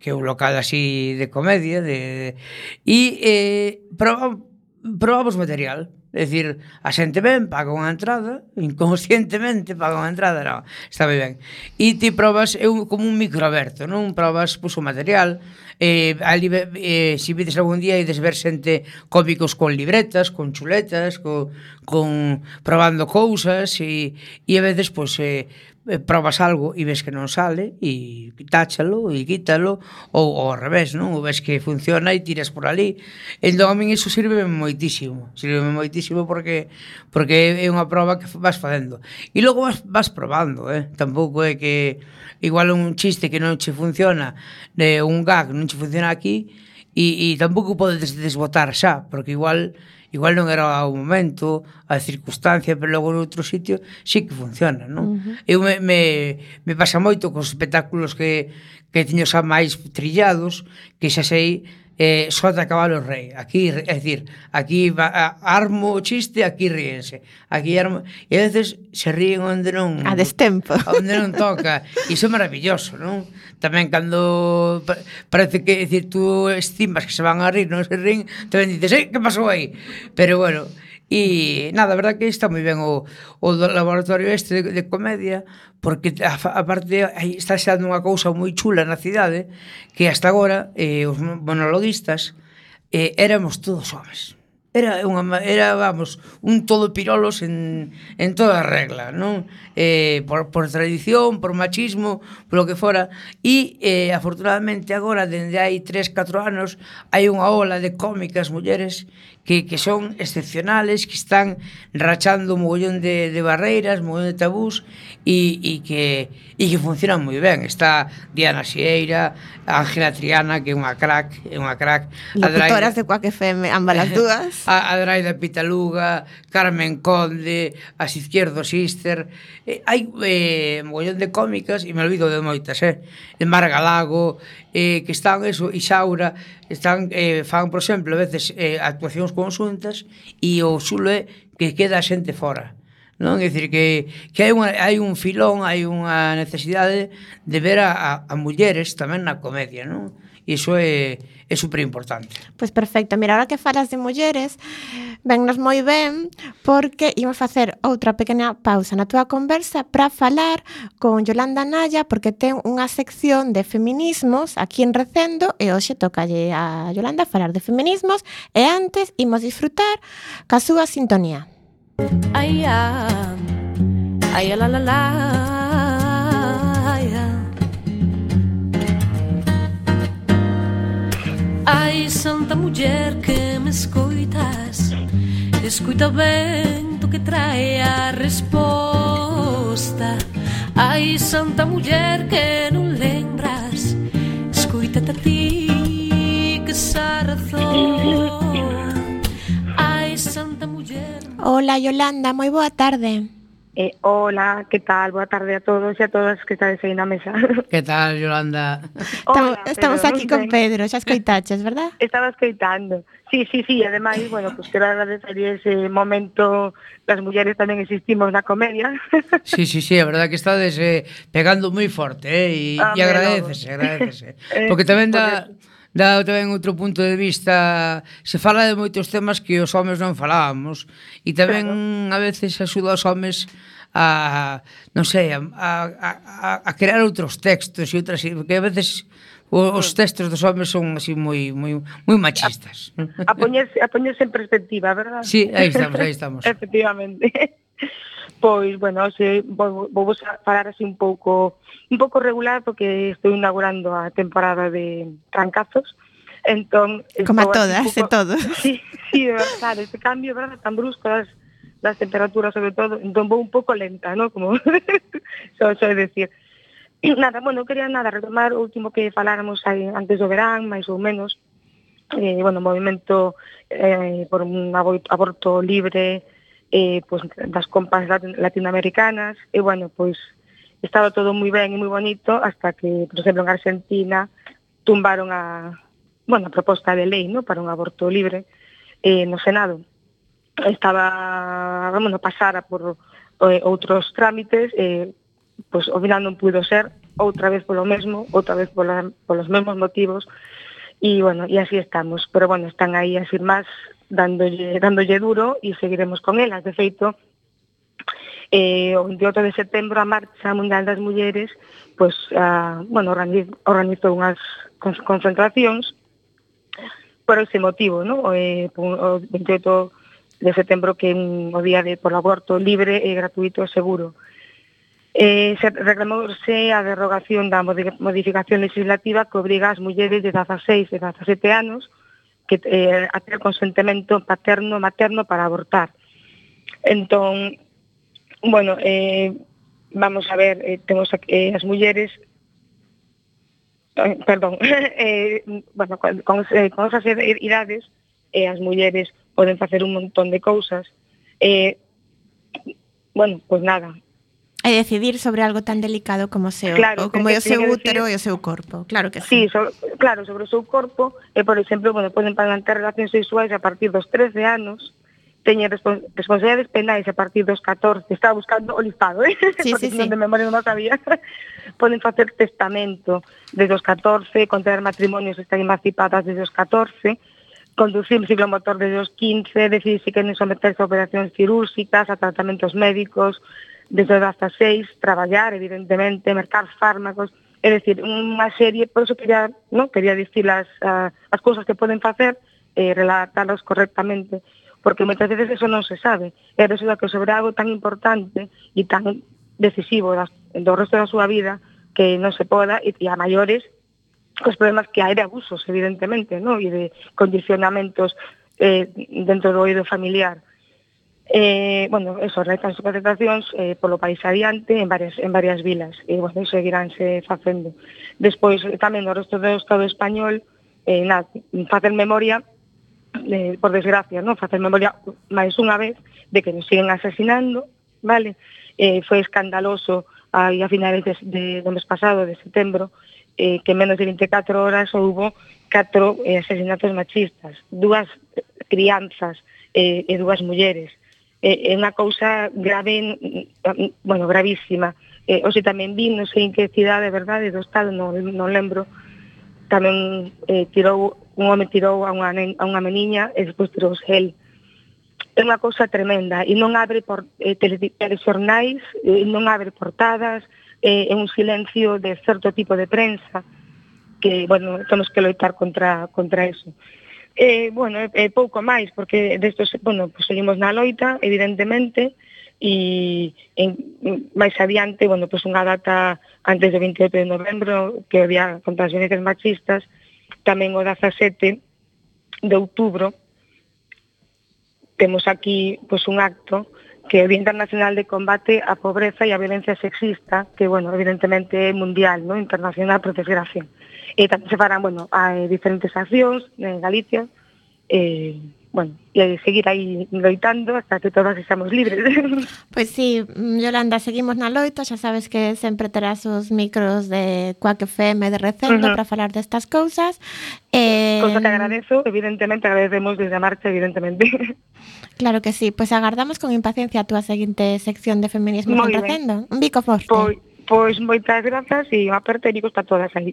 D: que é un local así de comedia, de, e eh, probamos, probamos material. É dicir, a xente ven, paga unha entrada, inconscientemente paga unha entrada, non, está moi ben. E ti probas, é un, como un microaberto, non? Probas, pues, o material, eh, ali, eh, se vides algún día ides ver xente cómicos con libretas, con chuletas, con, con probando cousas, e, e a veces, pues, eh, eh, probas algo e ves que non sale e táchalo e quítalo ou, ou ao revés, non? Ou ves que funciona e tiras por ali. Entón a min iso sirve moitísimo, sirve moitísimo porque porque é unha proba que vas facendo. E logo vas, vas probando, eh? Tampouco é que igual un chiste que non che funciona, de un gag non che funciona aquí e, e tampouco podes desbotar xa, porque igual igual non era o momento, a circunstancia, pero logo noutro sitio sí que funciona, non? Uh-huh. Eu me, me, me pasa moito cos espectáculos que, que teño xa máis trillados, que xa sei eh, sota cabalo rei. Aquí, é dicir, aquí va, a, armo o chiste, aquí ríense. Aquí armo, e a veces se ríen onde non...
C: A destempo.
D: Onde non toca. Iso é maravilloso, non? Tamén cando parece que, é dicir, tú estimas que se van a rir, non se ríen, tamén dices, eh, que pasou aí? Pero, bueno, e nada, a verdad que está moi ben o, o laboratorio este de, de comedia, porque a, aparte aí está xando unha cousa moi chula na cidade, que hasta agora eh, os monologuistas eh, éramos todos homes. Era unha era, vamos, un todo pirolos en, en toda regla, non? Eh, por, por tradición, por machismo, polo que fora. E, eh, afortunadamente, agora, dende hai tres, catro anos, hai unha ola de cómicas mulleres que, que son excepcionales, que están rachando un mogollón de, de barreiras, un mogollón de tabús, e, e, que, e que funcionan moi ben. Está Diana Xieira, Ángela Triana, que é unha crack, é unha crack.
C: Locutoras de Quack F M, ambas as dúas.
D: A Adraida Pitaluga, Carmen Conde, as Izquierdo Sister. Eh, hai eh, mogollón de cómicas, e me olvido de moitas, eh? De Mar Galago, eh, que están, eso, Isaura, están, eh, fan, por exemplo, a veces eh, actuacións conxuntas, e o xulo é que queda a xente fora. Non? É dicir, que, que hai, unha, hai un filón, hai unha necesidade de ver a, a, a mulleres tamén na comedia, non? E iso é, é super importante.
C: Pois perfecto, mira, ahora que falas de mulleres, vennos moi ben, porque imos facer outra pequena pausa na túa conversa para falar con Yolanda Naya, porque ten unha sección de feminismos aquí en Recendo, e hoxe tocalle a Yolanda falar de feminismos, e antes imos disfrutar ca súa sintonía.
E: Ai, ah, ai, la, la, la, ai, ah. Ai, santa muller que me escoitas, escoita ben tu que trae a resposta. Ai, santa muller que non lembras, escoítate a ti que xa razón. Ai, santa muller.
C: Hola, Yolanda, moi boa tarde.
F: Eh, hola, que tal? Boa tarde a todos e a todas que estades aí na mesa.
D: Que tal, Yolanda?
C: Hola, estamos
F: Pedro,
C: aquí con Pedro, xa escoitaches, verdad?
F: Estaba escoitando. Sí, sí, sí, ademais, bueno, pues quero agradecer ese momento, las mulleres tamén existimos na comedia.
D: Sí, sí, sí, a verdad que estades eh, pegando moi forte, eh, e,
F: ah,
D: e agradecese, agradecese. Porque tamén dá... dá tamén outro punto de vista, se fala de moitos temas que os homes non falábamos, e tamén claro. A veces axuda os homes a, non sei, a, a, a crear outros textos e outras, porque a veces os textos dos homes son así moi moi moi machistas.
F: A, a poñerse a poñerse en perspectiva, verdad?
D: Sí, aí estamos, aí estamos.
F: Efectivamente. Pois, bueno, se, vou, vou falar así un pouco un pouco regular porque estou inaugurando a temporada de trancazos. Entón,
C: como a todas, pouco, e todo.
F: Sí, sí, de verdad, este cambio, verdad, tan brusco das, das temperaturas sobre todo, entón vou un pouco lenta, ¿no? Como só soy decir. Nada, bueno, quería nada retomar o último que faláramos aí antes do verán, máis ou menos. Eh, bueno, movimento eh, por un aborto libre, eh, pues, das compas latinoamericanas, e bueno, pois estaba todo moi ben e moi bonito hasta que, por exemplo, en Argentina tumbaron a, bueno, a proposta de lei, ¿no?, para un aborto libre eh, no Senado. Estaba, bueno, pasara por eh, outros trámites, eh, pois ao final non pudo ser, outra vez polo mesmo, outra vez pola, polos mesmos motivos, e bueno, e así estamos. Pero bueno, están aí as firmas dándolle, dándolle duro e seguiremos con elas. De feito, eh, o veintiocho de setembro a Marcha Mundial das Mulleres pues, uh, bueno, organizou unhas concentracións por ese motivo, ¿no? Eh, o veintiocho de setembro que é un, o día de por aborto libre e gratuito e seguro. Eh, se reclamouse a derrogación da modificación legislativa que obriga as mulleres de dezaseis e dezasete anos que eh, a ter consentimento paterno materno para abortar. Entón, bueno, eh, vamos a ver, eh, temos eh, as mulleres eh, perdón, eh, bueno, con, con, eh, con esas idades eh, as mulleres poden facer un montón de cousas. Eh, bueno, pois pues nada,
C: E decidir sobre algo tan delicado como o seu,
F: claro,
C: ou como é o seu útero
F: decir,
C: e o seu corpo. Claro que
F: sí.
C: sí.
F: So, claro, sobre o seu corpo, e, por exemplo, bueno, poden manter relacións sexuais a partir dos trece anos, teñen respons responsabilidades penais a partir dos catorce, estaba buscando o listado, eh?
C: Sí,
F: porque
C: sí,
F: non
C: sí.
F: de memoria non sabía. Poden facer testamento desde os catorce, contraer matrimonios, estar emancipadas desde os catorce, conducir un ciclomotor desde os quince, decidir se queren someterse a operacións cirúrxicas, a tratamentos médicos, desde os dezaseis, traballar, evidentemente, mercar fármacos, é dicir, unha serie, por eso quería, no, quería dicir as, uh, as cousas que poden facer, eh, relatalas correctamente, porque moitas veces eso non se sabe, e resulta que sobre algo tan importante e tan decisivo das, do resto da súa vida, que non se poda, e, e a maiores, cos problemas que hai de abusos, evidentemente, no? E de condicionamentos eh, dentro do oído familiar. Eh, bueno, eso, realizan as concentracións eh, polo país adiante en varias, en varias vilas e, bueno, seguiránse facendo. Despois, tamén no resto do Estado español, eh, nada, facer memoria, eh, por desgracia, ¿no? Facer memoria máis unha vez de que nos siguen asesinando, vale? Eh, foi escandaloso aí a finales de, de, do mes pasado, de setembro, eh, que en menos de vinte e catro horas houbo catro eh, asesinatos machistas, dúas crianzas eh, e dúas mulleres. É unha cousa grave, bueno, gravísima. Eh, hoxe tamén vi, non sei en que cidade, verdade, do Estado, non, non lembro, tamén eh, tirou, un home tirou a unha, a unha meniña e despois tirou el. É unha cousa tremenda e non abre por eh, telexornais, eh, non abre portadas, é eh, un silencio de certo tipo de prensa que, bueno, temos que loitar contra, contra eso. Eh, bueno, é, é pouco máis, porque destos, bueno, pues seguimos na loita, evidentemente, e en, máis adiante, bueno, pues unha data antes do vinte e oito de novembro, que había contra as violencias machistas, tamén o dezasete de outubro, temos aquí pues un acto que é o Día Internacional de Combate á Pobreza e á Violencia Sexista, que, bueno, evidentemente é mundial, ¿no? Internacional, por desgracia. E tamén se farán, bueno, hai diferentes accións en Galicia, e, bueno, e seguir aí loitando hasta que todas estamos libres.
C: Pois sí, Yolanda, seguimos na loita, xa sabes que sempre terás os micros de Quack F M de Recendo uh -huh. para falar destas cousas.
F: Eh... Cosa que agradezo, evidentemente, agradecemos desde a marcha, evidentemente.
C: Claro que sí, pois pues agardamos con impaciencia a túa seguinte sección de Feminismo en Recendo. Un bico forte.
F: Pois, pois moitas grazas e unha aperta e bicos para todas aí.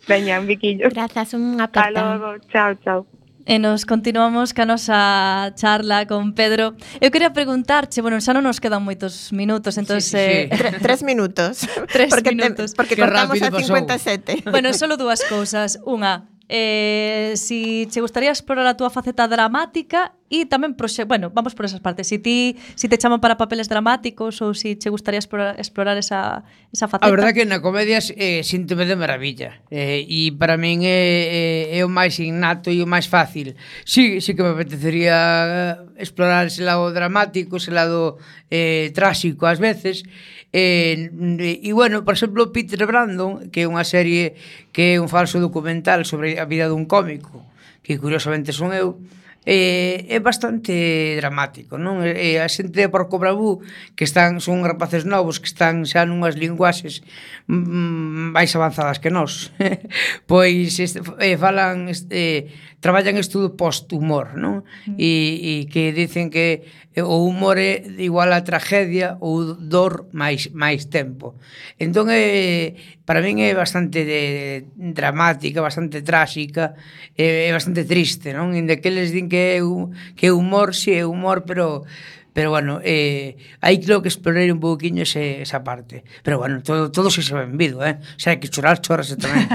F: Veña, un biquillo.
C: Grazas, unha aperta.
F: Hasta logo, chao, chao.
B: E nos continuamos ca nosa charla con Pedro. Eu quería preguntarche, bueno, xa non nos quedan moitos minutos, entón...
D: Sí, sí, sí.
B: Eh,
C: Tre, tres minutos.
B: Tres
C: porque
B: minutos.
C: Te, porque
D: Qué
C: cortamos a
D: rápido
C: cincuenta e
D: pasou.
C: sete.
B: Bueno, solo dúas cousas. Unha, eh, si che gustaría explorar a túa faceta dramática e tamén, proxe bueno, vamos por esas partes. Si ti si te chaman para papeles dramáticos ou si che gustaría explorar, explorar esa, esa faceta.
D: A verdade que na comedia eh, síntome de maravilla eh, e para min é, é, é o máis innato e o máis fácil. Sí, sí que me apetecería explorar ese lado dramático, ese lado eh, tráxico ás veces. E, e bueno, por exemplo, Peter Brandon, que é unha serie que é un falso documental sobre a vida dun cómico, que curiosamente son eu, é, é bastante dramático, non? E a xente de Porco Bravú, que están son rapaces novos que están xa nunhas linguaxes mm, máis avanzadas que nós, pois este, eh, falan eh, traballan estudo post-humor, non? E, e que dicen que o humor é igual a tragedia ou dor máis máis tempo. Entón é para min é bastante de, dramática, bastante tráxica, é, é bastante triste, non? Inde que eles din que é que é humor, si é humor, pero pero bueno, eh, aí creo que explorei un pouquiño ese, esa parte. Pero bueno, todo, todo se se benvido, eh? Se hai que chorar, chorase tamén.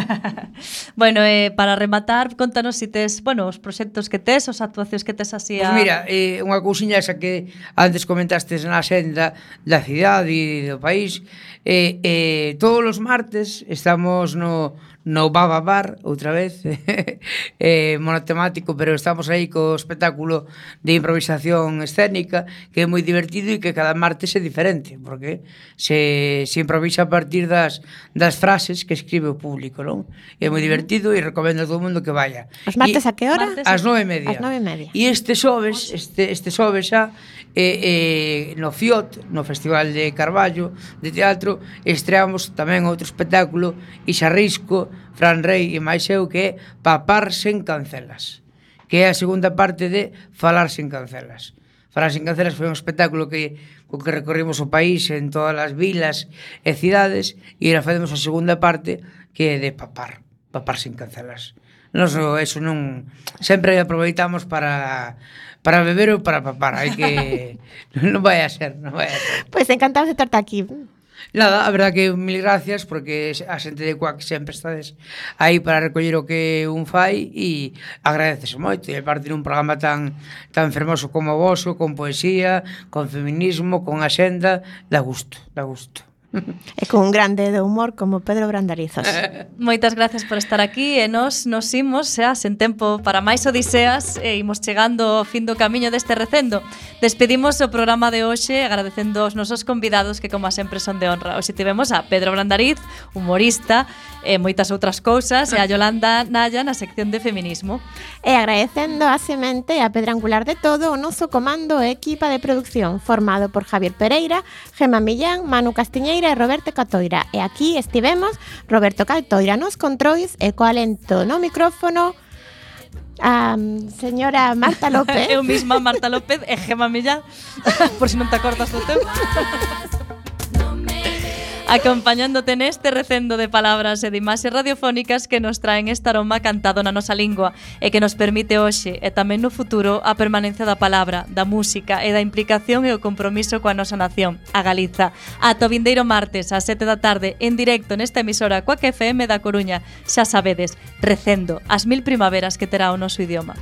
B: Bueno, eh, para rematar, contanos si tes, bueno, os proxectos que tes, os actuacións que tes así a...
D: Pois mira, eh, unha cousiña esa que antes comentastes na senda da cidade e do país, eh, eh, todos os martes estamos no, no Baba Bar, outra vez, eh, monotemático, pero estamos aí co espectáculo de improvisación escénica, que é moi divertido e que cada martes é diferente, porque se, se improvisa a partir das, das frases que escribe o público, non? E é moi divertido e recomendo a todo o mundo que vaya.
C: Os martes
D: e,
C: a que hora?
B: Martes
D: Ás nove e media.
C: Ás nove e media.
D: E este xoves, este, este xoves xa, eh, eh, no Fiot, no Festival de Carballo de Teatro, estreamos tamén outro espectáculo, Ixarrisco, Fran Rey e máis eu, que é Papar sen cancelas, que é a segunda parte de Falar sen cancelas. Falar sen cancelas foi un espectáculo que co que recorrimos o país en todas as vilas e cidades, e ahora facemos a segunda parte, que é de papar, papar sen cancelas. Nos, eso non, sempre aproveitamos para para beber ou para papar, hai que non vai a ser, non vai a ser.
C: Pois encantados de terte aquí.
D: Nada, a verdad que mil gracias, porque a xente de Cuac sempre estades aí para recoller o que un fai e agradecese moito. E parte dun programa tan tan fermoso como o voso, con poesía, con feminismo, con axenda, dá gusto, dá gusto.
C: E con un grande de humor como Pedro Brandarizos.
B: Moitas gracias por estar aquí e nos nos imos xa sen tempo para máis odiseas e imos chegando ao fin do camiño deste recendo. Despedimos o programa de hoxe agradecendo aos nosos convidados que como sempre son de honra. Hoxe tivemos a Pedro Brandariz, humorista e moitas outras cousas, e a Yolanda Naya na sección de feminismo.
C: E agradecendo a Semente e a pedra angular de todo o noso comando e equipa de producción formado por Javier Pereira, Gemma Millán, Manu Castiñeira e Roberto Catoira. E aquí estivemos Roberto Catoira nos controis e co alento no micrófono a um, señora Marta López.
B: Eu misma, Marta López e Gemma Millán, por si non te acordas do teu. Acompañándote neste recendo de palabras e de imaxes radiofónicas que nos traen este aroma cantado na nosa lingua e que nos permite hoxe e tamén no futuro a permanencia da palabra, da música e da implicación e o compromiso coa nosa nación, a Galiza. Ata o vindeiro martes ás sete da tarde en directo nesta emisora Cuac F M da Coruña. Xa sabedes, recendo as mil primaveras que terá o noso idioma.